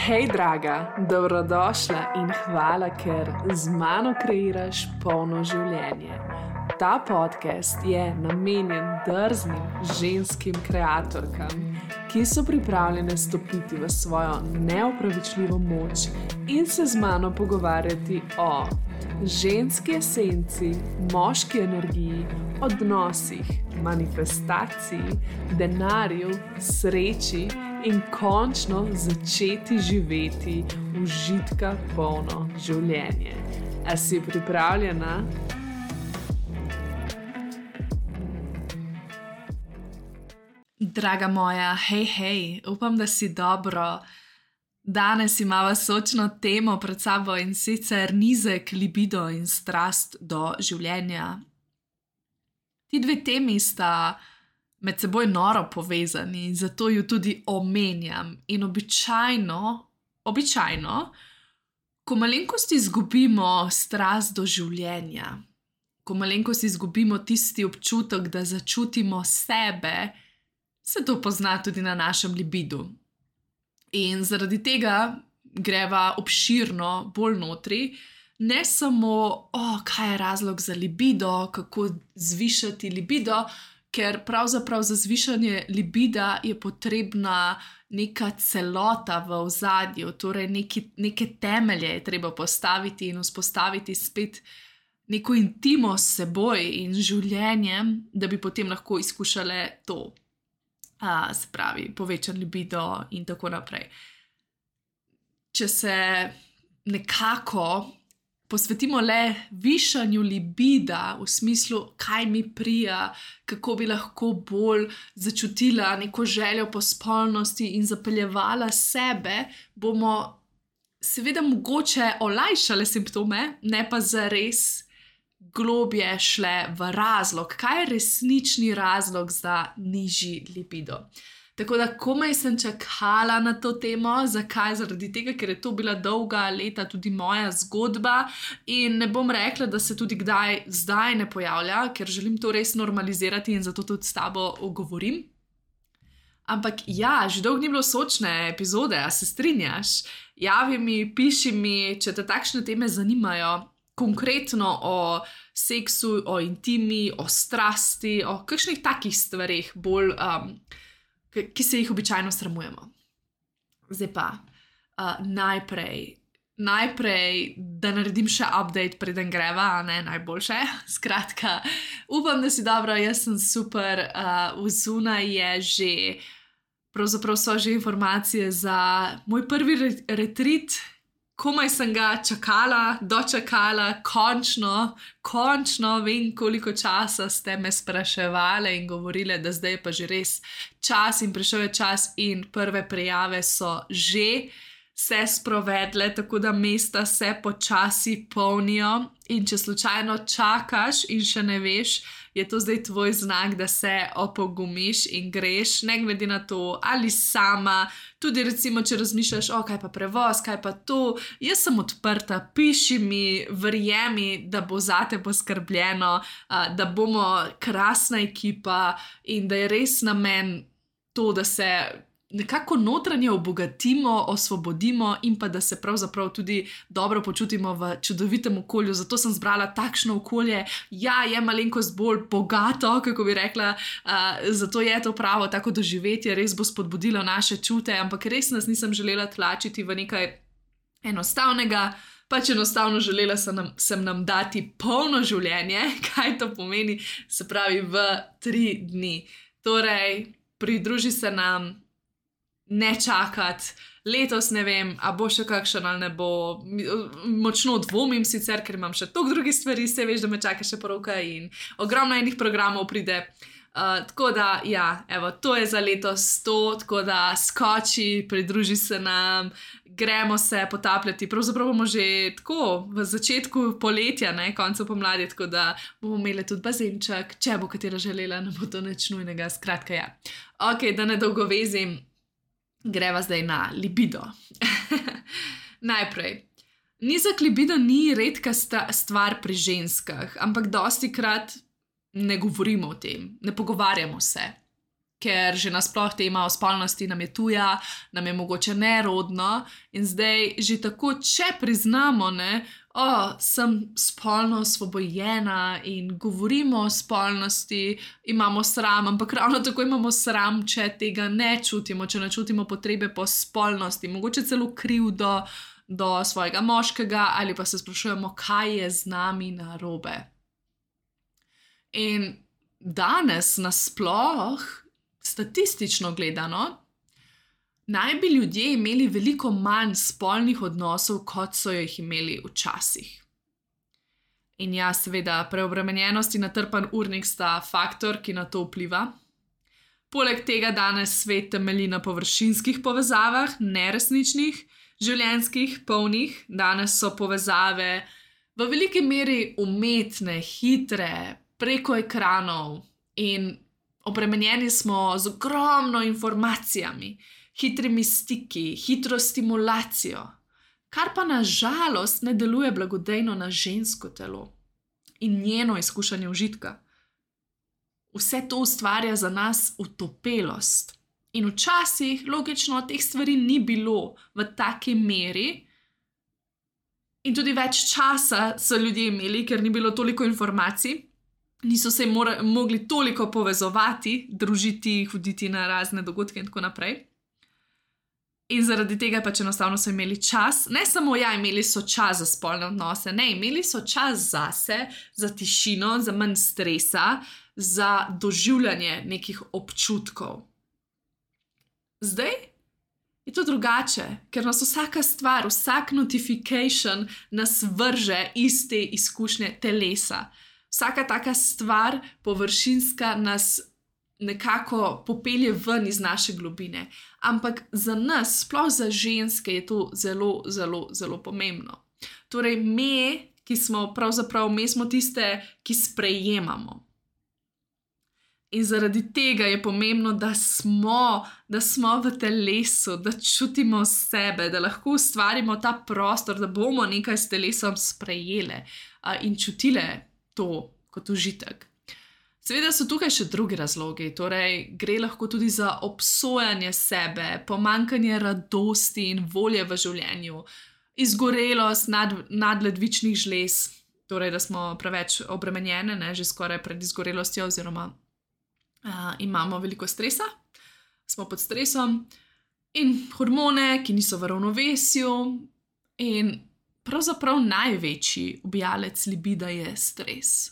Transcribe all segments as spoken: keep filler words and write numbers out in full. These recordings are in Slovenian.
Hej, draga, dobrodošla in hvala, ker z mano kreiraš polno življenje. Ta podcast je namenjen drznim ženskim kreatorkam, ki so pripravljene stopiti v svojo neopravičljivo moč in se z mano pogovarjati o ženski esenci, moški energiji, odnosih, manifestaciji, denarju, sreči in končno začeti živeti užitka polno življenje. A si pripravljena? Draga moja, hej, hej, upam, da si dobro. Danes imava sočno temo pred sabo in sicer nizek libido in strast do življenja. Ti dve temi sta med seboj noro povezani, zato ju tudi omenjam. In običajno, običajno, ko malenkost izgubimo strast do življenja, ko malenkost izgubimo tisti občutek, da začutimo sebe, se to pozna tudi na našem libidu. In zaradi tega greva obširno bolj notri, ne samo, o, kaj je razlog za libido, kako zvišati libido, ker pravzaprav za zvišanje libida je potrebna neka celota v ozadju, torej neki, neke temelje je treba postaviti in vzpostaviti spet neko intimo s seboj in življenjem, da bi potem lahko izkušale to. A, se pravi, povečan libido in tako naprej. Če se nekako posvetimo le višanju libida v smislu, kaj mi prija, kako bi lahko bolj začutila neko željo po spolnosti in zapeljevala sebe, bomo seveda mogoče olajšale simptome, ne pa zares globje šle v razlog, kaj je resnični razlog za nižji libido. Tako da komaj sem čakala na to temo. Zakaj? Zaradi tega, ker je to bila dolga leta tudi moja zgodba in ne bom rekla, da se tudi kdaj zdaj ne pojavlja, ker želim to res normalizirati in zato tudi s tabo govorim. Ampak ja, že dolgo ni bilo sočne epizode, a se strinjaš? Javi mi, piši mi, če te takšne teme zanimajo, konkretno o seksu, o intimi, o strasti, o kakšnih takih stvareh bolj, um, ki se jih običajno sramujemo. Zdaj pa, uh, najprej, najprej, da naredim še update, preden greva, ne, najboljše. Skratka, upam, da si dobro, jaz sem super, uh, vzunaj je že, pravzaprav so že informacije za moj prvi re- retreat, komaj sem ga čakala, dočakala, končno, končno vem, koliko časa ste me spraševali in govorili, da zdaj je pa že res čas in prišel je čas in prve prijave so že se sprovedle, tako da mesta se počasi polnijo in če slučajno čakaš in še ne veš, je to zdaj tvoj znak, da se opogumiš in greš, ne glede na to, ali sama, tudi recimo, če razmišljaš, o, kaj pa prevoz, kaj pa to, jaz sem odprta, piši mi, verjemi, da bo zate poskrbljeno, da bomo krasna ekipa in da je res namen to, da se nekako notranje obogatimo, osvobodimo in pa da se pravzaprav tudi dobro počutimo v čudovitem okolju. Zato sem zbrala takšno okolje, ja, je malenkost bolj bogato, kako bi rekla, uh, zato je to pravo tako doživetje, res bo spodbudilo naše čute, ampak res nas nisem želela tlačiti v nekaj enostavnega, pač enostavno želela sem nam, sem nam dati polno življenje, kaj to pomeni, se pravi v tri dni. Torej, pridruži se nam, ne čakati, letos ne vem, a bo še kakšen ali ne bo, močno dvomim sicer, ker imam še toliko drugih stvari, se veš, da me čaka še poroka in ogromno enih programov pride, uh, tako da, ja, evo, to je za letos to, tako da skoči, pridruži se nam, gremo se potapljati, pravzaprav bomo že tako v začetku poletja, ne, koncu pomladi, tako da bomo imeli tudi bazenček, če bo katera želela, ne bo to nič nujnega, skratka, ja. Ok, da ne dolgo vezim, greva zdaj na libido. Najprej, nizek libido ni redka sta- stvar pri ženskah, ampak dostikrat ne govorimo o tem, ne pogovarjamo se. ker že nasploh tema o spolnosti nam je tuja, nam je mogoče nerodno in zdaj že tako, če priznamo, ne, o, sem spolno osvobojena in govorimo o spolnosti, imamo sram, ampak ravno tako imamo sram, če tega ne čutimo, če ne čutimo potrebe po spolnosti, mogoče celo krivdo do svojega moškega ali pa se sprašujemo, kaj je z nami narobe. In danes nasploh, statistično gledano, naj bi ljudje imeli veliko manj spolnih odnosov, kot so jih imeli včasih. In ja, seveda, preobremenjenost in natrpan urnik sta faktor, ki na to vpliva. Poleg tega danes svet temelji na površinskih povezavah, neresničnih, življenjskih, polnih. Danes so povezave v veliki meri umetne, hitre, preko ekranov in obremenjeni smo z ogromno informacijami, hitrimi stiki, hitro stimulacijo, kar pa na žalost ne deluje blagodejno na žensko telo in njeno izkušanje užitka. Vse to ustvarja za nas utopelost. In včasih, logično, teh stvari ni bilo v taki meri in tudi več časa so ljudje imeli, ker ni bilo toliko informacij, niso se mora, mogli toliko povezovati, družiti, hoditi na razne dogodke in tako naprej. In zaradi tega pač enostavno so imeli čas, ne samo ja, imeli so čas za spolne odnose, ne, imeli so čas zase, za tišino, za manj stresa, za doživljanje nekih občutkov. Zdaj je to drugače, ker nas vsaka stvar, vsak notification nas vrže iz te izkušnje telesa. Vsaka taka stvar, površinska, nas nekako popelje ven iz naše globine. Ampak za nas, sploh za ženske, je to zelo, zelo, zelo pomembno. Torej, me, ki smo pravzaprav, me smo tiste, ki sprejemamo. In zaradi tega je pomembno, da smo, da smo v telesu, da čutimo sebe, da lahko ustvarimo ta prostor, da bomo nekaj s telesom sprejele uh, in čutile to kot užitek. Seveda so tukaj še drugi razlogi, torej gre lahko tudi za obsojanje sebe, pomanjkanje radosti in volje v življenju, izgorelost nad, nadledvičnih žlez, torej da smo preveč obremenjene, ne, že skoraj pred izgorelostjo oziroma uh, imamo veliko stresa, smo pod stresom in hormone, ki niso v ravnovesju in pravzaprav največji ubijalec libida je stres.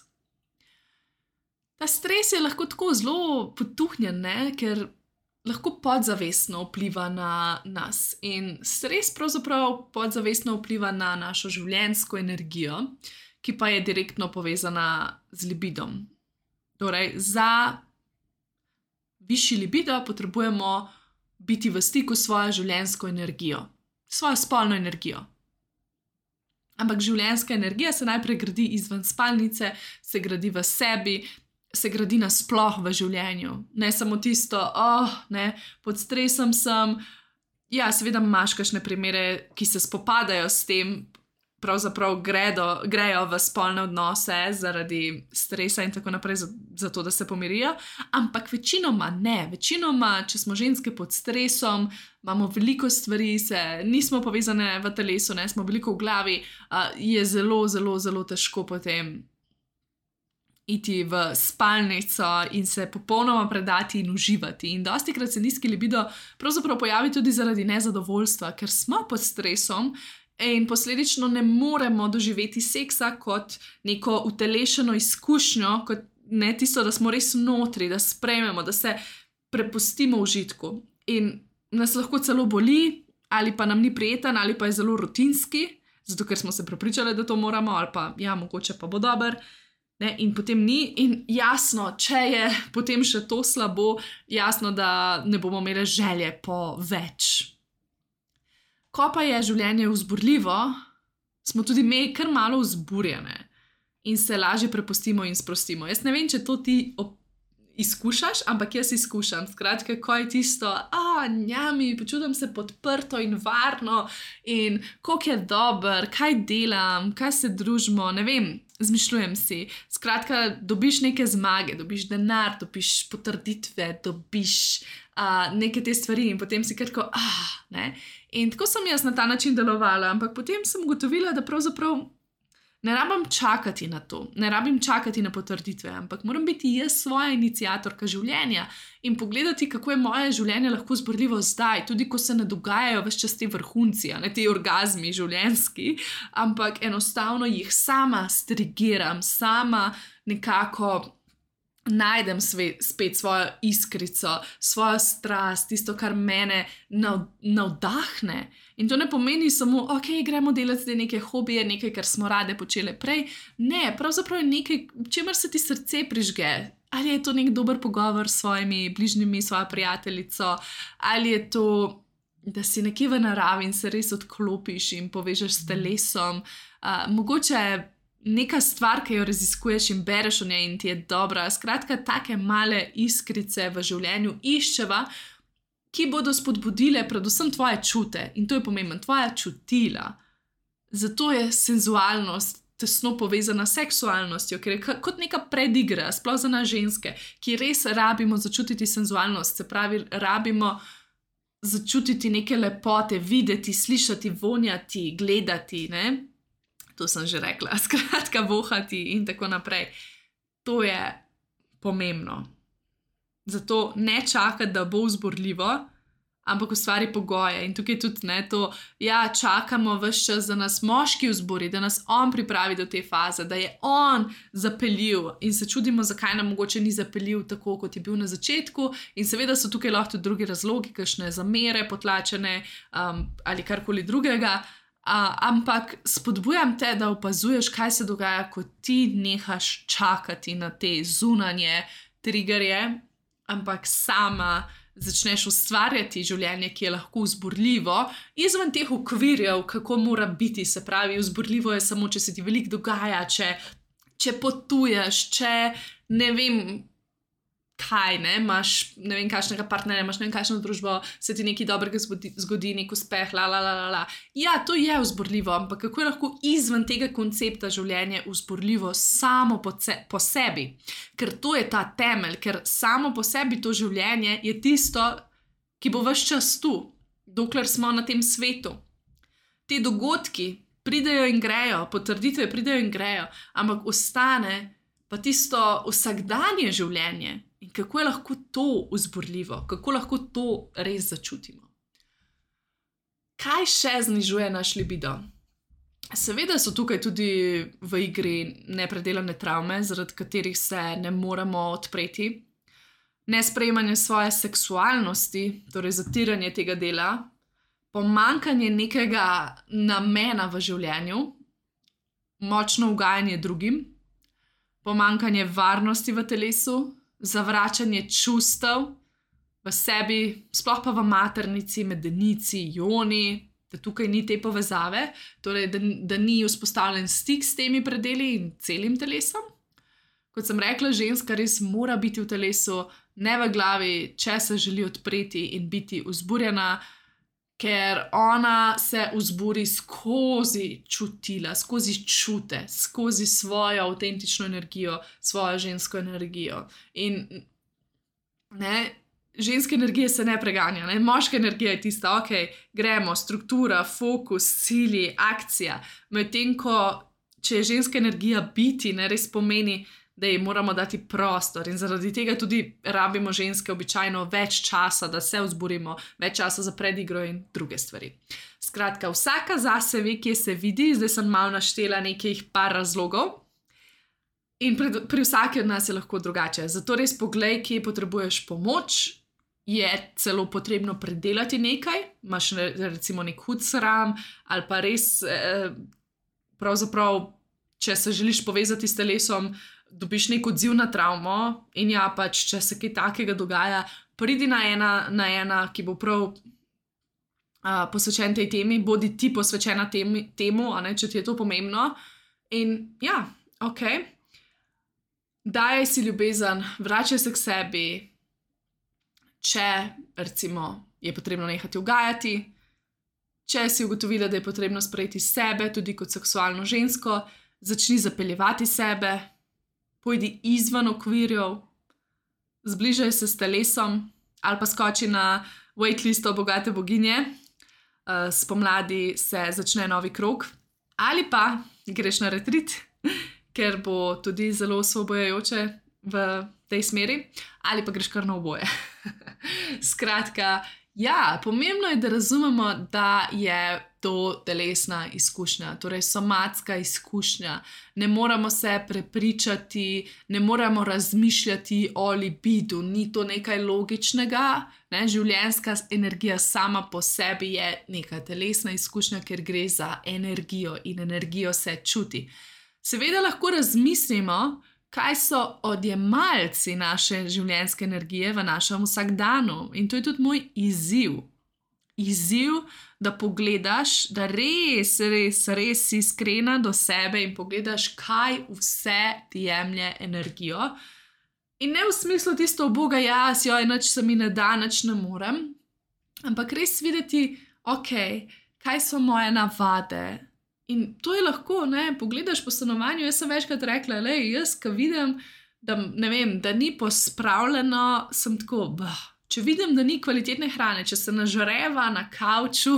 Ta stres je lahko tako zelo potuhnjen, ne? Ker lahko podzavestno vpliva na nas. In stres pravzaprav podzavestno vpliva na našo življenjsko energijo, ki pa je direktno povezana z libidom. Torej, za višji libido potrebujemo biti v stiku s svojo življenjsko energijo, svojo spolno energijo. Ampak življenjska energija se najprej gradi izven spalnice, se gradi v sebi, se gradi nasploh v življenju. Ne samo tisto, oh, ne, pod stresom sem. Ja, seveda imaš kakšne primere, ki se spopadajo s tem, pravzaprav gredo, grejo v spolne odnose zaradi stresa in tako naprej, zato da se pomirijo, ampak večinoma ne. Večinoma, če smo ženske pod stresom, imamo veliko stvari, se nismo povezane v telesu, ne, smo veliko v glavi, uh, je zelo, zelo, zelo težko potem iti v spalnico in se popolnoma predati in uživati. In dostikrat se nizki libido pravzaprav pojavi tudi zaradi nezadovoljstva, ker smo pod stresom in posledično ne moremo doživeti seksa kot neko utelešeno izkušnjo, kot ne tisto, da smo res notri, da sprejmemo, da se prepustimo užitku. In nas lahko celo boli, ali pa nam ni prijeten, ali pa je zelo rutinski, zato ker smo se prepričali, da to moramo, ali pa ja, mogoče pa bo dober. Ne, in potem ni, in jasno, če je potem še to slabo, jasno, da ne bomo imeli želje po več. Ko pa je življenje vzburljivo, smo tudi mi kar malo vzburjene in se lažje prepustimo in sprostimo. Jaz ne vem, če to ti izkušaš, ampak jaz izkušam. Skratka, ko je tisto, a, njami, počutim se podprto in varno in koliko je dober, kaj delam, kaj se družimo, ne vem. Zmišljujem si. Skratka, dobiš neke zmage, dobiš denar, dobiš potrditve, dobiš uh, neke te stvari in potem si kar tako, ah, ne. In tako sem jaz na ta način delovala, ampak potem sem ugotovila, da pravzaprav ne rabim čakati na to, ne rabim čakati na potrditve, ampak moram biti jaz svoja iniciatorka življenja in pogledati, kako je moje življenje lahko vzburljivo zdaj, tudi ko se ne dogajajo ves čas te vrhunci, ne te orgazmi življenjski, ampak enostavno jih sama strigiram, sama nekako najdem sve, spet svojo iskrico, svojo strast, tisto, kar mene nav, navdahne. In to ne pomeni samo, ok, gremo delati neke hobije, nekaj, kar smo rade počele prej. Ne, pravzaprav je nekaj, čemer se ti srce prižge. Ali je to nek dober pogovor s svojimi bližnjimi, svojo prijateljico, ali je to, da si nekje v naravi in se res odklopiš in povežeš s telesom. Uh, mogoče neka stvar, ki jo raziskuješ in bereš o njej in ti je dobra. Skratka, take male iskrice v življenju iščeva, ki bodo spodbudile predvsem tvoje čute. In to je pomembno, tvoja čutila. Zato je senzualnost tesno povezana s seksualnostjo, ker je kot neka predigra, sploh za nas ženske, ki res rabimo začutiti senzualnost, se pravi, rabimo začutiti neke lepote, videti, slišati, vonjati, gledati, ne? To sem že rekla, skratka, vohati in tako naprej. To je pomembno. Zato ne čakati, da bo vzburljivo, ampak ustvari pogoje. In tukaj tudi ne to, ja, čakamo ves čas, da nas moški vzburi, da nas on pripravi do te faze, da je on zapeljiv in se čudimo, zakaj nam mogoče ni zapeljiv tako, kot je bil na začetku. In seveda so tukaj lahko tudi drugi razlogi, kakšne zamere, potlačene um, ali karkoli drugega. Uh, ampak spodbujam te, da opazuješ, kaj se dogaja, ko ti nehaš čakati na te zunanje triggerje, ampak sama začneš ustvarjati življenje, ki je lahko vzburljivo, izven teh okvirjev, kako mora biti. Se pravi, vzburljivo je samo, če se ti veliko dogaja, če, če potuješ, če ne vem kaj, ne, imaš ne vem kakšnega partnerja, imaš ne vem kakšno družbo, se ti nekaj dobrega zgodi, zgodi nek uspeh, la, la, la, la, la. Ja, to je vzburljivo, ampak kako je lahko izven tega koncepta življenje vzburljivo samo po, ce, po sebi? Ker to je ta temelj, ker samo po sebi to življenje je tisto, ki bo ves čas tu, dokler smo na tem svetu. Te dogodki pridejo in grejo, potrditve pridejo in grejo, ampak ostane pa tisto vsakdanje življenje. In kako je lahko to vzburljivo, kako lahko to res začutimo. Kaj še znižuje naš libido? Seveda so tukaj tudi v igri nepredelane travme, zaradi katerih se ne moremo odpreti. Nesprejemanje svoje seksualnosti, torej zatiranje tega dela, pomanjkanje nekega namena v življenju, močno ugajanje drugim, pomanjkanje varnosti v telesu, zavračanje čustev v sebi, sploh pa v maternici, medenici, joni, da tukaj ni te povezave, torej da, da ni vzpostavljen stik s temi predeli in celim telesom. Kot sem rekla, ženska res mora biti v telesu, ne v glavi, če se želi odpreti in biti vzburjena, ker ona se vzburi skozi čutila, skozi čute, skozi svojo avtentično energijo, svojo žensko energijo. In ne, ženske energije se ne preganja, ne? Moška energija je tista, ok, gremo, struktura, fokus, cilji, akcija. Medtem ko, če je ženska energija biti, ne res pomeni, da ji moramo dati prostor in zaradi tega tudi rabimo ženske običajno več časa, da se vzburimo, več časa za predigro in druge stvari. Skratka, vsaka zase ve, kje se vidi, zdaj sem malo naštela nekih par razlogov in pri, pri vsaki od nas je lahko drugače. Zato res poglej, kje potrebuješ pomoč, je celo potrebno predelati nekaj, imaš recimo nek hud sram ali pa res eh, pravzaprav, če se želiš povezati s telesom, dobiš nek odziv na travmo in ja, pač, če se kaj takega dogaja, pridi na ena, na ena, ki bo prav uh, posvečen tej temi, bodi ti posvečena temi, temu, a ne, če ti je to pomembno. In ja, ok, daj si ljubezen, vračaj se k sebi, če recimo je potrebno nehati ugajati, če si ugotovila, da je potrebno sprejeti sebe tudi kot seksualno žensko, začni zapeljevati sebe, pojdi izven okvirjev, zbližaj se s telesom ali pa skoči na waitlisto bogate boginje, spomladi se začne novi krog, ali pa greš na retrit, ker bo tudi zelo osvobojajoče v tej smeri, ali pa greš kar na oboje. Skratka, ja, pomembno je, da razumemo, da je to telesna izkušnja, torej somatska izkušnja. Ne moramo se prepričati, ne moramo razmišljati o libidu, ni to nekaj logičnega. Ne? Življenjska energija sama po sebi je neka telesna izkušnja, ker gre za energijo in energijo se čuti. Seveda lahko razmislimo, kaj so odjemalci naše življenjske energije v našem vsakdanu. In to je tudi moj izziv. Izziv, da pogledaš, da res, res, res si iskrena do sebe in pogledaš, kaj vse ti jemlje energijo. In ne v smislu tisto, boga jaz, joj, nič se mi ne da, nič ne morem, ampak res videti, ok, kaj so moje navade. In to je lahko, ne, pogledaš po stanovanju, jaz sem večkrat rekla, lej, jaz, ko vidim, da, ne vem, da ni pospravljeno, sem tako, bah, če vidim, da ni kvalitetne hrane, če se nažreva na kavču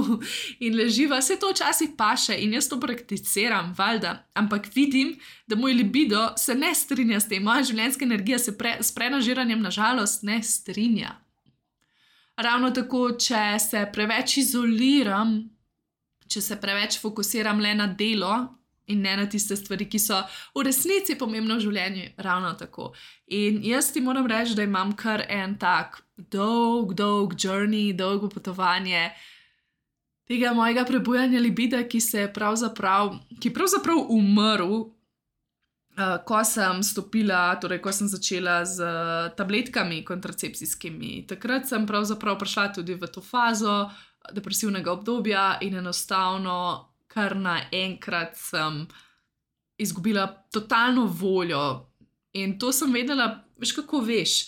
in leživa, se to včasih paše in jaz to prakticiram, valjda, ampak vidim, da moj libido se ne strinja s tem, moja življenjska energija se pre, s prenažiranjem nažalost ne strinja. Ravno tako, če se preveč izoliram, če se preveč fokusiram le na delo in ne na tiste stvari, ki so v resnici pomembne v življenju, ravno tako. In jaz ti moram reči, da imam kar en tak dolg, dolg journey, dolgo potovanje tega mojega prebujanja libida, ki se je pravzaprav, ki je pravzaprav umrl, uh, ko sem stopila, torej ko sem začela z tabletkami kontracepcijskimi. Takrat sem pravzaprav prišla tudi v to fazo depresivnega obdobja in enostavno kar naenkrat sem izgubila totalno voljo. In to sem vedela, veš kako veš,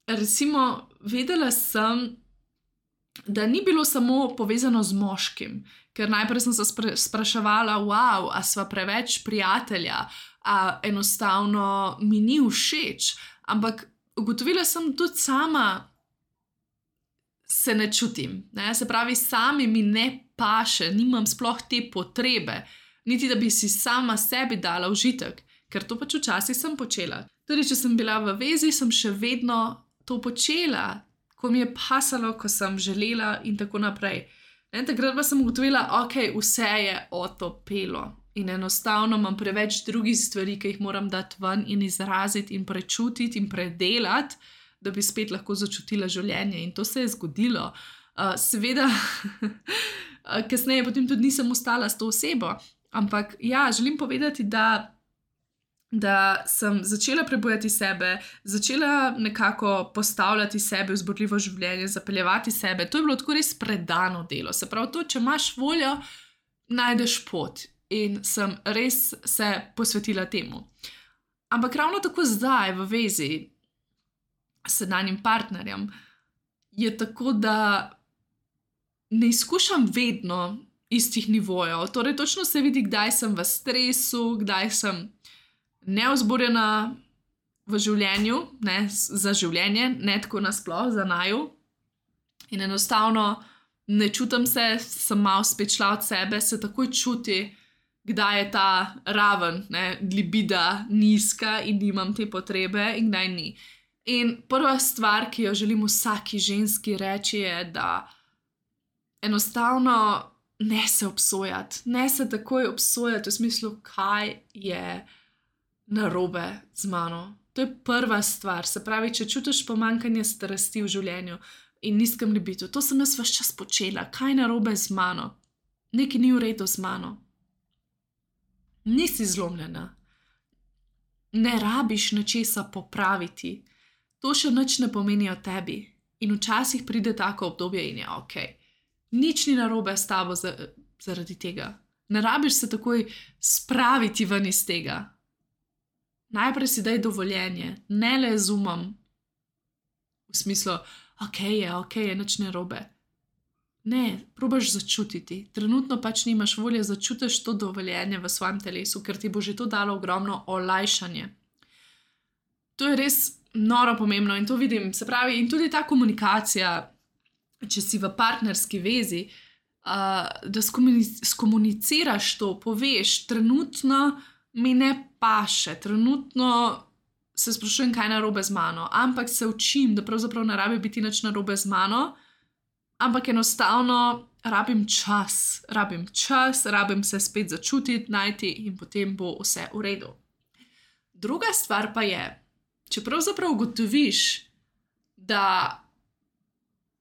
recimo vedela sem, da ni bilo samo povezano z moškim, ker najprej sem se spra- spraševala, wow, a sva preveč prijatelja, a enostavno mi ni všeč, ampak ugotovila sem tudi sama, se ne čutim, ne? Se pravi, sami mi ne paše, nimam sploh te potrebe, niti da bi si sama sebi dala užitek, ker to pač včasih sem počela. Tudi če sem bila v vezi, sem še vedno to počela, ko mi je pasalo, ko sem želela in tako naprej. In takrat pa sem ugotovila, ok, vse je otopelo in enostavno imam preveč drugih stvari, ki jih moram dati ven in izraziti in prečutiti in predelati, da bi spet lahko začutila življenje. In to se je zgodilo. Uh, seveda, kasneje potem tudi nisem ostala s to osebo, ampak ja, želim povedati, da, da sem začela prebujati sebe, začela nekako postavljati sebe v vzburljivo življenje, zapeljevati sebe. To je bilo tako res predano delo. Se pravi, to, če imaš voljo, najdeš pot. In sem res se posvetila temu. Ampak ravno tako zdaj v vezi s sedanjim partnerjem je tako, da ne izkušam vedno istih nivojev. Torej, točno se vidi, kdaj sem v stresu, kdaj sem neuzborjena v življenju, ne, za življenje, ne tako nasploh, za naju. In enostavno ne čutim se, sem malo spet šla od sebe, se takoj čuti, kdaj je ta raven, ne, libida nizka in nimam te potrebe in kdaj ni. In prva stvar, ki jo želim vsaki ženski reči, je, da enostavno ne se obsojati, ne se takoj obsojati v smislu, kaj je narobe z mano. To je prva stvar. Se pravi, če čutiš pomanjkanje strasti v življenju in nizkem libidu, to sem jaz ves čas počela, kaj je narobe z mano, nekaj ni v redu z mano. Nisi zlomljena, ne rabiš nečesa popraviti. To še nič ne pomeni o tebi. In včasih pride tako obdobje in je ok. Nič ni narobe s tabo zaradi tega. Ne rabiš se takoj spraviti ven iz tega. Najprej si daj dovoljenje, ne le z umom. V smislu, ok je, ok je, nič ne narobe. Ne, probaš začutiti. Trenutno pač nimaš volje, začutiš to dovoljenje v svojem telesu, ker ti bo že to dalo ogromno olajšanje. To je res noro pomembno in to vidim. Se pravi, in tudi ta komunikacija, če si v partnerski vezi, uh, da skomunic- skomuniciraš to, poveš, trenutno mi ne paše, trenutno se sprašujem, kaj je narobe z mano, ampak se učim, da pravzaprav ne rabi biti nič narobe z mano, ampak enostavno rabim čas, rabim čas, rabim se spet začutiti, najti in potem bo vse v redu. Druga stvar pa je, če pravzaprav ugotoviš, da,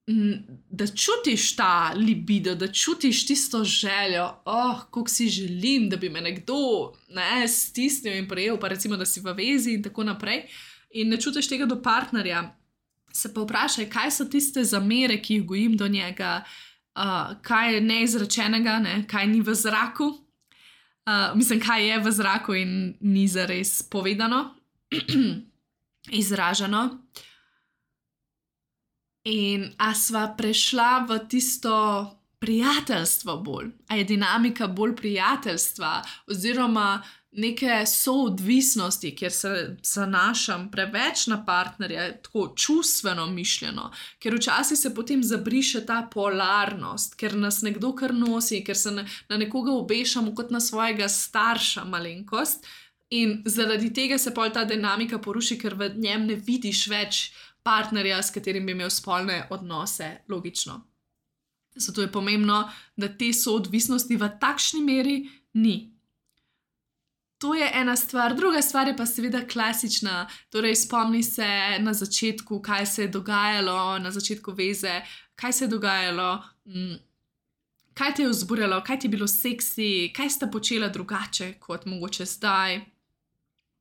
da čutiš ta libido, da čutiš tisto željo, oh, koliko si želim, da bi me nekdo ne, stisnil in prejel, pa recimo, da si v vezi in tako naprej, in ne čutiš tega do partnerja, se pa vprašaj, kaj so tiste zamere, ki jih gojim do njega, uh, kaj je neizrečenega, ne? Kaj ni v zraku, uh, mislim, kaj je v zraku in ni zares povedano, izraženo. In a sva prešla v tisto prijateljstvo bolj, a je dinamika bolj prijateljstva oziroma neke soodvisnosti, kjer se zanašam preveč na partnerja, tako čustveno mišljeno, ker včasih se potem zabriše ta polarnost, ker nas nekdo kar nosi, ker se na, na nekoga obešamo kot na svojega starša malenkost in zaradi tega se pol ta dinamika poruši, ker v njem ne vidiš več partnerja, s katerim bi imel spolne odnose, logično. Zato je pomembno, da te soodvisnosti v takšni meri ni. To je ena stvar. Druga stvar je pa seveda klasična, torej spomni se na začetku, kaj se je dogajalo, na začetku veze, kaj se je dogajalo, kaj te je vzburjalo, kaj ti je bilo seksi, kaj sta počela drugače kot mogoče zdaj.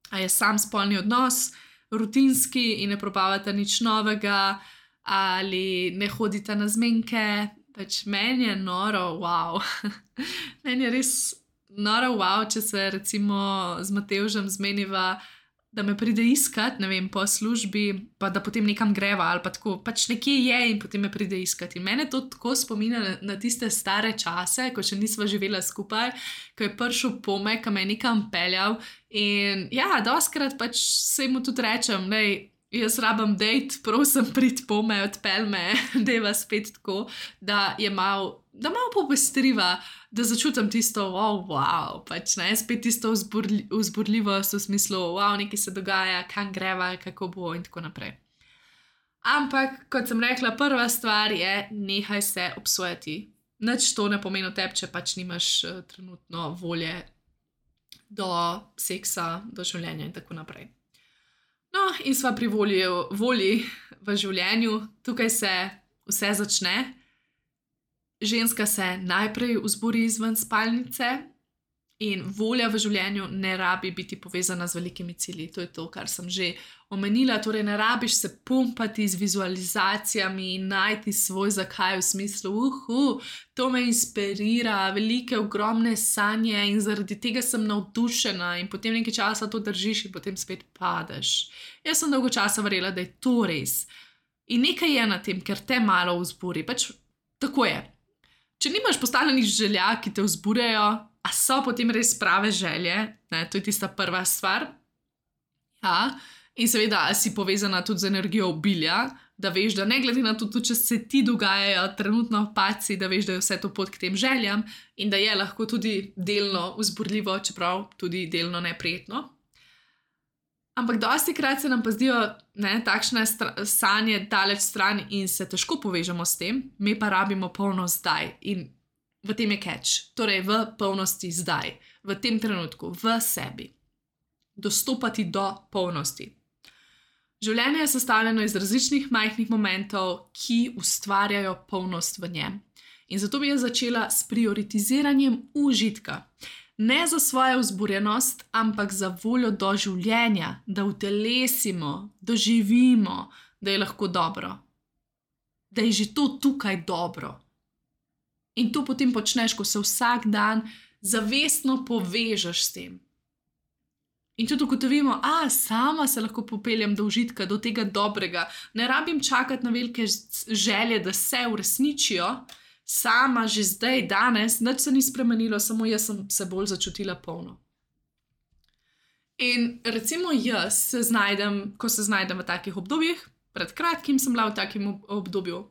A je sam spolni odnos rutinski in ne probavata nič novega, ali ne hodita na zmenke. Pač meni je noro, wow. Meni je res noro, wow, če se recimo z Matevžem zmeniva, da me pride iskat, ne vem, po službi, pa da potem nekam greva ali pa tako, pač nekje je in potem me pride iskat. In mene to tako spominja na, na tiste stare čase, ko še nisva živela skupaj, ko je prišel pome, ko me je nekam peljal in ja, doskrat pač se mu tudi rečem, lej, jaz rabam dejt, prosim prid pome, odpelj me, deva spet tako, da je mal, da malo popestriva, da začutim tisto, wow, wow, pač ne, spet tisto vzburli, vzburljivost v smislu, wow, nekaj se dogaja, kam greva, kako bo in tako naprej. Ampak, kot sem rekla, prva stvar je, nehaj se obsojati. Nič to ne pomeni tebi, če pač nimaš uh, trenutno volje do seksa, do življenja in tako naprej. No, in sva pri volji, volji v življenju, tukaj se vse začne. Ženska se najprej vzburi izven spalnice in volja v življenju ne rabi biti povezana z velikimi cilji. To je to, kar sem že omenila. Torej, ne rabiš se pumpati z vizualizacijami in najti svoj zakaj v smislu, uhu, to me inspirira, velike, ogromne sanje in zaradi tega sem navdušena in potem nekaj časa to držiš in potem spet padeš. Jaz sem dolgo časa verjela, da je to res. In nekaj je na tem, ker te malo vzburi. Pač tako je. Če nimaš postavljenih želja, ki te vzburjajo, a so potem res prave želje, ne, to je tista prva stvar. Ja, in seveda si povezana tudi z energijo obilja, da veš, da ne glede na to, če se ti dogajajo trenutno paci, da veš, da je vse to pot k tem željam in da je lahko tudi delno vzburljivo, čeprav tudi delno neprijetno. Ampak dosti krat se nam pa zdijo ne, takšne stra- sanje daleč stran in se težko povežemo s tem, mi pa rabimo polnost zdaj in v tem je catch, torej v polnosti zdaj, v tem trenutku, v sebi. Dostopati do polnosti. Življenje je sestavljeno iz različnih majhnih momentov, ki ustvarjajo polnost v njem. In zato bi jaz začela s prioritiziranjem užitka. Ne za svojo vzburjenost, ampak za voljo do življenja, da utelesimo, doživimo, da je lahko dobro. Da je že to tukaj dobro. In to potem počneš, ko se vsak dan zavestno povežeš s tem. In tudi ugotovimo, a sama se lahko popeljem do užitka, do tega dobrega. Ne rabim čakati na velike želje, da se uresničijo, sama že zdaj, danes, nič se ni spremenilo, samo jaz sem se bolj začutila polno. In recimo jaz se znajdem, ko se znajdem v takih obdobjih, pred kratkim sem bila v takem obdobju,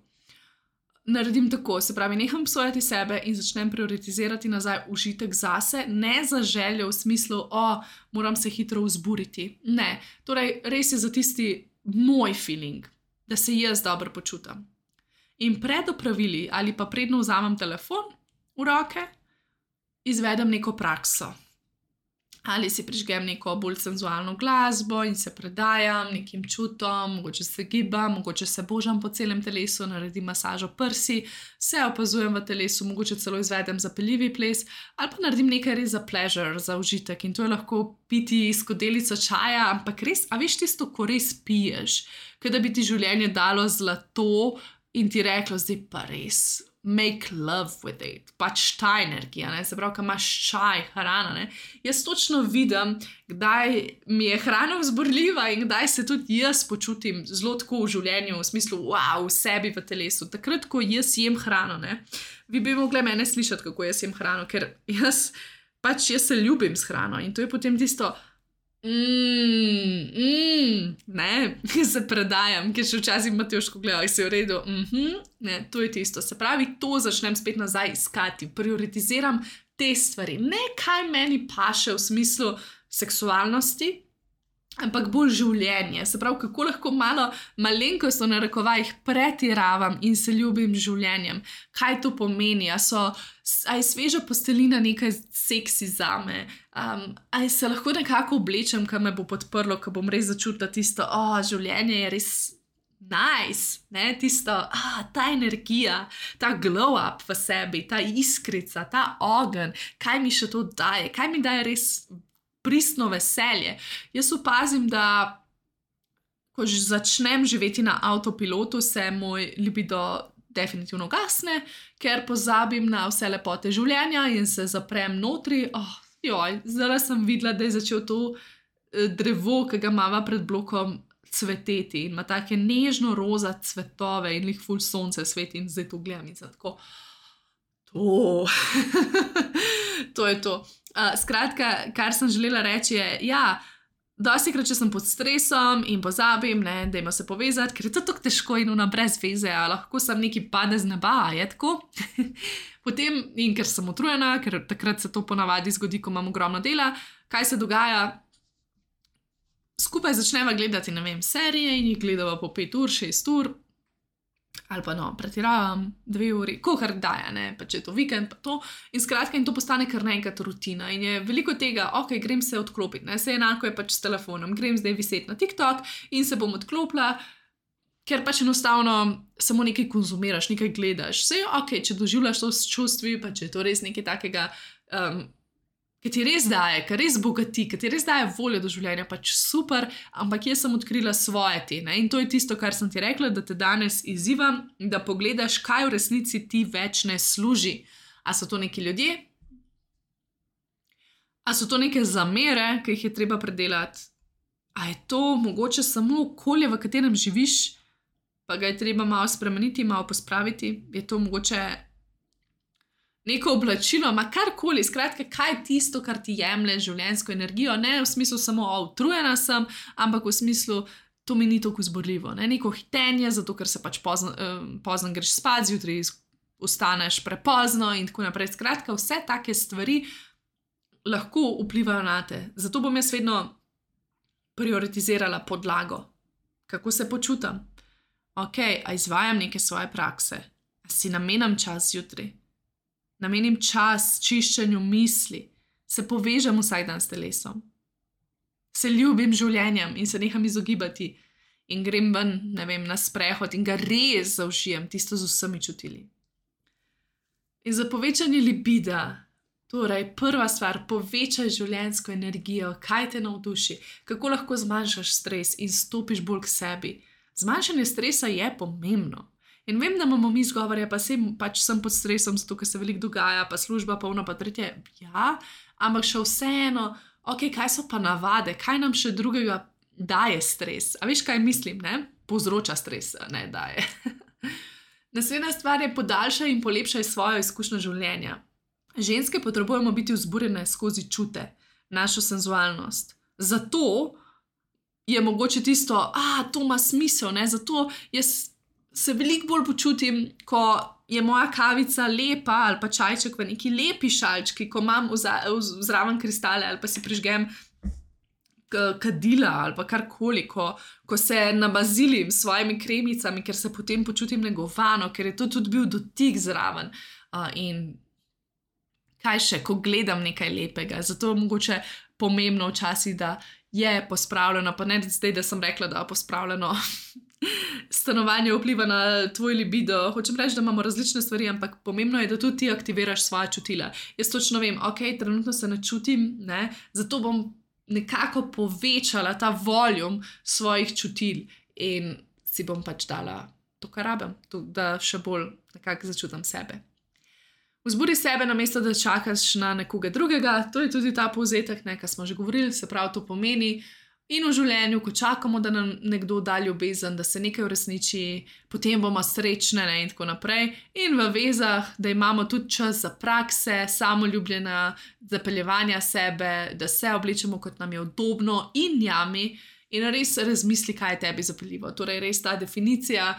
naredim tako, se pravi, neham obsojati sebe in začnem prioritizirati nazaj užitek zase, ne za željo v smislu, o, moram se hitro vzburiti. Ne, torej res je za tisti moj feeling, da se jaz dobro počutam. In pred opravili ali pa predno vzamem telefon v roke, izvedem neko prakso. Ali si prižgem neko bolj senzualno glasbo in se predajam nekim čutom, mogoče se gibam, mogoče se božam po celem telesu, naredim masažo prsi, se opazujem v telesu, mogoče celo izvedem zapeljivi ples ali pa naredim nekaj res za pleasure, za užitek in to je lahko piti skodelico čaja, ampak res, a veš tisto, ko res piješ, kot da bi ti življenje dalo zlato in ti reklo, zdaj pa res, make love with it, pač ta energija, ne? Se pravi, ko imaš čaj, hrana, ne? Jaz točno vidim, kdaj mi je hrana vzburljiva in kdaj se tudi jaz počutim zelo tako v življenju, v smislu, wow, v sebi, v telesu. Takrat, ko jaz jem hrano, ne? Vi bi mogli mene slišati, kako jaz jem hrano, ker jaz, pač jaz se ljubim s hrano in to je potem tisto, Mmm, mm, ne, ki se predajam, ker še včasih Matjoško gledal, si v redu, mhm, ne, to je tisto. Se pravi, to začnem spet nazaj iskati, prioritiziram te stvari. Ne, kaj meni paše v smislu seksualnosti, ampak bolj življenje. Se pravi, kako lahko malo malenkost v narekovajih pretiravam in se ljubim z življenjem. Kaj to pomeni? A, so, a je sveža postelina nekaj seksi zame? Um, a se lahko nekako oblečem, kar me bo podprlo, ko bom res začutila tisto, o, oh, življenje je res nice, ne? Tisto, ah, ta energija, ta glow up v sebi, ta iskrica, ta ogenj, kaj mi še to daje, kaj mi daje res pristno veselje. Jaz opazim, da ko začnem živeti na avtopilotu, se moj libido definitivno gasne, ker pozabim na vse lepote življenja in se zaprem notri. Oh, joj, zdaj sem videla, da je začel to drevo, ki ga imava pred blokom, cveteti in ima take nežno roza cvetove in lih ful sonce sveti in zdaj to gledam in sem tako, to, to je to. Uh, skratka, kar sem želela reči je, ja, dostikrat, če sem pod stresom in pozabim, ne, dajmo se povezati, ker je to tako težko in ona brez veze, a lahko sem neki pade z neba, je tako? Potem, in ker sem utrujena, ker takrat se to ponavadi zgodi, ko imam ogromno dela, kaj se dogaja? Skupaj začneva gledati, ne vem, serije in jih gledava po pet ur, šest ur, ali pa no, pretiravam dve uri, kohar daje, ne, pa če je to vikend, pa to. In skratka, in to postane kar naenkrat rutina. In je veliko tega, ok, grem se odklopiti, ne, se enako je pač s telefonom, grem zdaj viseti na TikTok in se bom odklopila, ker pač enostavno samo nekaj konzumiraš, nekaj gledaš. Vse je ok, če doživljaš to s čustvi, pa če je to res nekaj takega, um, ki ti res daje, ki res bogati, ki ti res daje voljo do življenja, pač super, ampak jaz sem odkrila svoje te, ne? In to je tisto, kar sem ti rekla, da te danes izzivam, da pogledaš, kaj v resnici ti več ne služi. A so to neki ljudje? A so to neke zamere, ki jih je treba predelati? A je to mogoče samo okolje, v katerem živiš, pa ga je treba malo spremeniti, malo pospraviti? Je to mogoče neko oblačilo, ma karkoli, skratka, kaj je tisto, kar ti jemlje življenjsko energijo, ne v smislu samo, o, utrujena sem, ampak v smislu, to mi ni toliko vzburljivo, ne, neko hitenje, zato ker se pač pozno, eh, pozno greš spat, zjutraj vstaneš prepozno in tako naprej. Skratka, vse take stvari lahko vplivajo na te. Zato bom jaz vedno prioritizirala podlago. Kako se počutam? Ok, a izvajam neke svoje prakse? A si namenam čas zjutraj? Namenim čas čiščenju misli, se povežem vsak dan s telesom, se ljubim življenjem in se neham izogibati in grem ven, ne vem, na sprehod in ga res zaužijem, tisto z vsemi čutili. In za povečanje libida, torej prva stvar, povečaj življenjsko energijo, kaj te navduši, kako lahko zmanjšaš stres in stopiš bolj k sebi. Zmanjšanje stresa je pomembno. In vem, da imamo mi izgovore, pa sem, pač sem pod stresom, zato ker se veliko dogaja, pa služba, pa ono, pa tretje, ja, ampak še vseeno, ok, kaj so pa navade, kaj nam še drugega daje stres? A veš, kaj mislim, ne? Povzroča stres, ne daje. Naslednja stvar je podaljšaj in polepšaj svojo izkušnjo življenja. Ženske potrebujemo biti vzburjene skozi čute, našo senzualnost. Zato je mogoče tisto, a to ima smisel, ne? Zato jaz se veliko bolj počutim, ko je moja kavica lepa ali pa čajček v neki lepi šalčki, ko imam zraven kristale ali pa si prižgem kadila ali pa karkoli, ko, ko se nabazilim s svojimi kremicami, ker se potem počutim negovano, ker je to tudi bil dotik zraven. Uh, in kaj še, ko gledam nekaj lepega. Zato je mogoče pomembno včasih, da je pospravljeno, pa ne zdaj, da sem rekla, da je pospravljeno stanovanje vpliva na tvoj libido. Hočem reči, da imamo različne stvari, ampak pomembno je, da tudi ti aktiviraš svoja čutila. Jaz točno vem, ok, trenutno se ne čutim, ne, zato bom nekako povečala ta voljum svojih čutil in si bom pač dala to, kar rabim, to, da še bolj nekako začutam sebe. Vzbudi sebe, namesto da čakaš na nekoga drugega, to je tudi ta povzetek, ne, kar smo že govorili, se pravi, to pomeni. In v življenju, ko čakamo, da nam nekdo da ljubezen, da se nekaj uresniči, potem bomo srečne, ne, in tako naprej. In v vezah, da imamo tudi čas za prakse, samoljubljena, zapeljevanja sebe, da se oblečemo, kot nam je udobno in jami, in res razmisli, kaj je tebi zapeljivo. Torej, res ta definicija,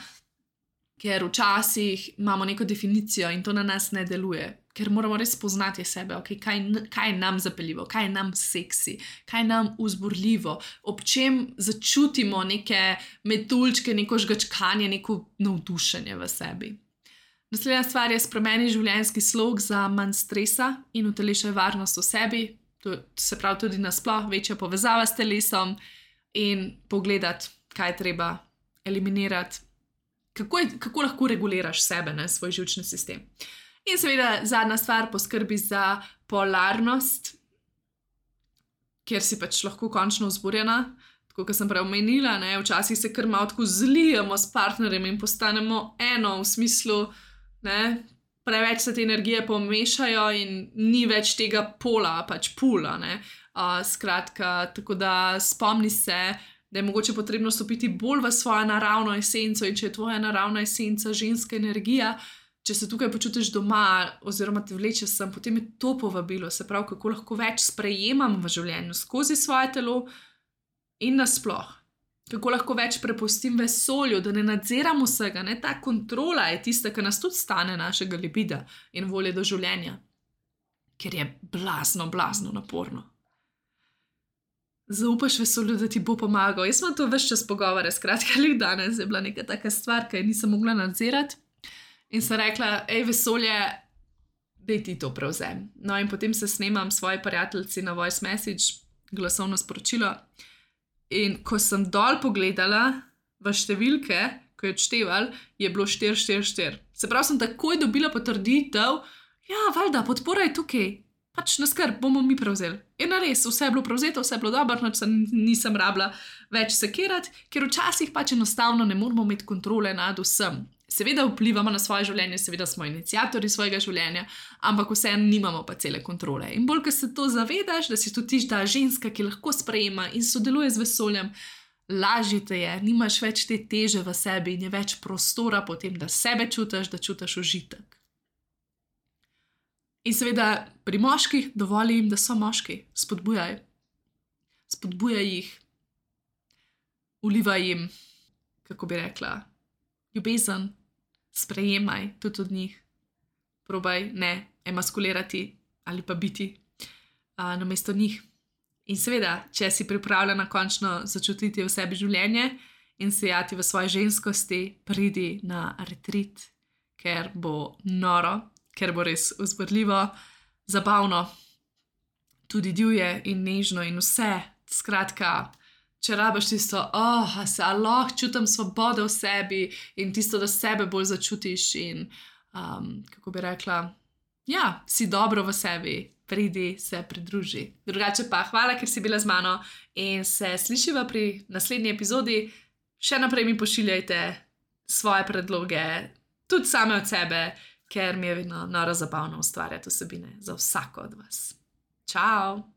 ker včasih imamo neko definicijo in to na nas ne deluje, ker moramo res poznati sebe, okay, kaj, kaj je nam zapeljivo, kaj je nam seksi, kaj je nam vzburljivo, ob čem začutimo neke metuljčke, neko žgačkanje, neko navdušenje v sebi. Naslednja stvar je spremeni življenjski slog za manj stresa in utelešaj varnost v sebi, to se pravi tudi nasploh večja povezava s telesom in pogledati, kaj je treba eliminirati, kako, je, kako lahko reguliraš sebe, ne, svoj živčni sistem. In seveda zadnja stvar, poskrbi za polarnost, kjer si pač lahko končno vzburjena, tako kot sem prej omenila, ne, včasih se kar malo tako zlijemo s partnerjem in postanemo eno v smislu, ne, preveč se te energije pomešajo in ni več tega pola, pač pula, ne, uh, skratka, tako da spomni se, da je mogoče potrebno stopiti bolj v svojo naravno esenco in če je tvoja naravna esenca ženska energija, če se tukaj počutiš doma oziroma te vleče sem, potem je to povabilo, se pravi, kako lahko več sprejemam v življenju skozi svoje telo in nasploh. Kako lahko več prepustim vesolju, da ne nadziram vsega, ne, ta kontrola je tista, ki nas tudi stane našega libida in volje do življenja, ker je blazno, blazno naporno. Zaupaš vesolju, da ti bo pomagal. Jaz imam to ves čas pogovore, skratka, le danes je bila neka taka stvar, ki je nisem mogla nadzirati. In sem rekla, ej, vesolje, daj ti to prevzem. No, in potem se snemam svoji prijateljici na voice message, glasovno sporočilo. In ko sem dol pogledala v številke, ko je odšteval, je bilo štiri štiri štiri. Se pravi, sem takoj dobila potrditev, ja, valjda, podpora je tukaj. Pač na skrb, bomo mi prevzeli. In res, vse je bilo prevzeto, vse je bilo dobro, noč nisem rabila več sekirati, ker včasih pač enostavno ne moramo imeti kontrole nad vsem. Seveda vplivamo na svoje življenje, seveda smo iniciatorji svojega življenja, ampak vseeno nimamo pa cele kontrole. In bolj, ko se to zavedaš, da si tudi ta ženska, ki lahko sprejema in sodeluje z vesoljem, lažje te je, nimaš več te teže v sebi in je več prostora potem, da sebe čutiš, da čutiš užitek. In seveda pri moških dovolj jim, da so moški, spodbujaj. Spodbujaj jih, vlivaj jim, kako bi rekla, ljubezen, sprejemaj tudi od njih. Probaj ne emaskulirati ali pa biti a, namesto njih. In seveda, če si pripravljena končno začutiti v sebi življenje in sejati v svoji ženskosti, pridi na retreat, ker bo noro, ker bo res vzburljivo, zabavno, tudi divje in nežno in vse. Skratka, če rabiš tisto, oh, se lahko čutim svobodo v sebi in tisto, da sebe bolj začutiš in, um, kako bi rekla, ja, si dobro v sebi, pridi, se pridruži. Drugače pa hvala, ker si bila z mano in se slišiva pri naslednji epizodi. Še naprej mi pošiljajte svoje predloge, tudi same od sebe, ker mi je vedno noro zabavno ustvarjati vsebine za vsako od vas. Čau!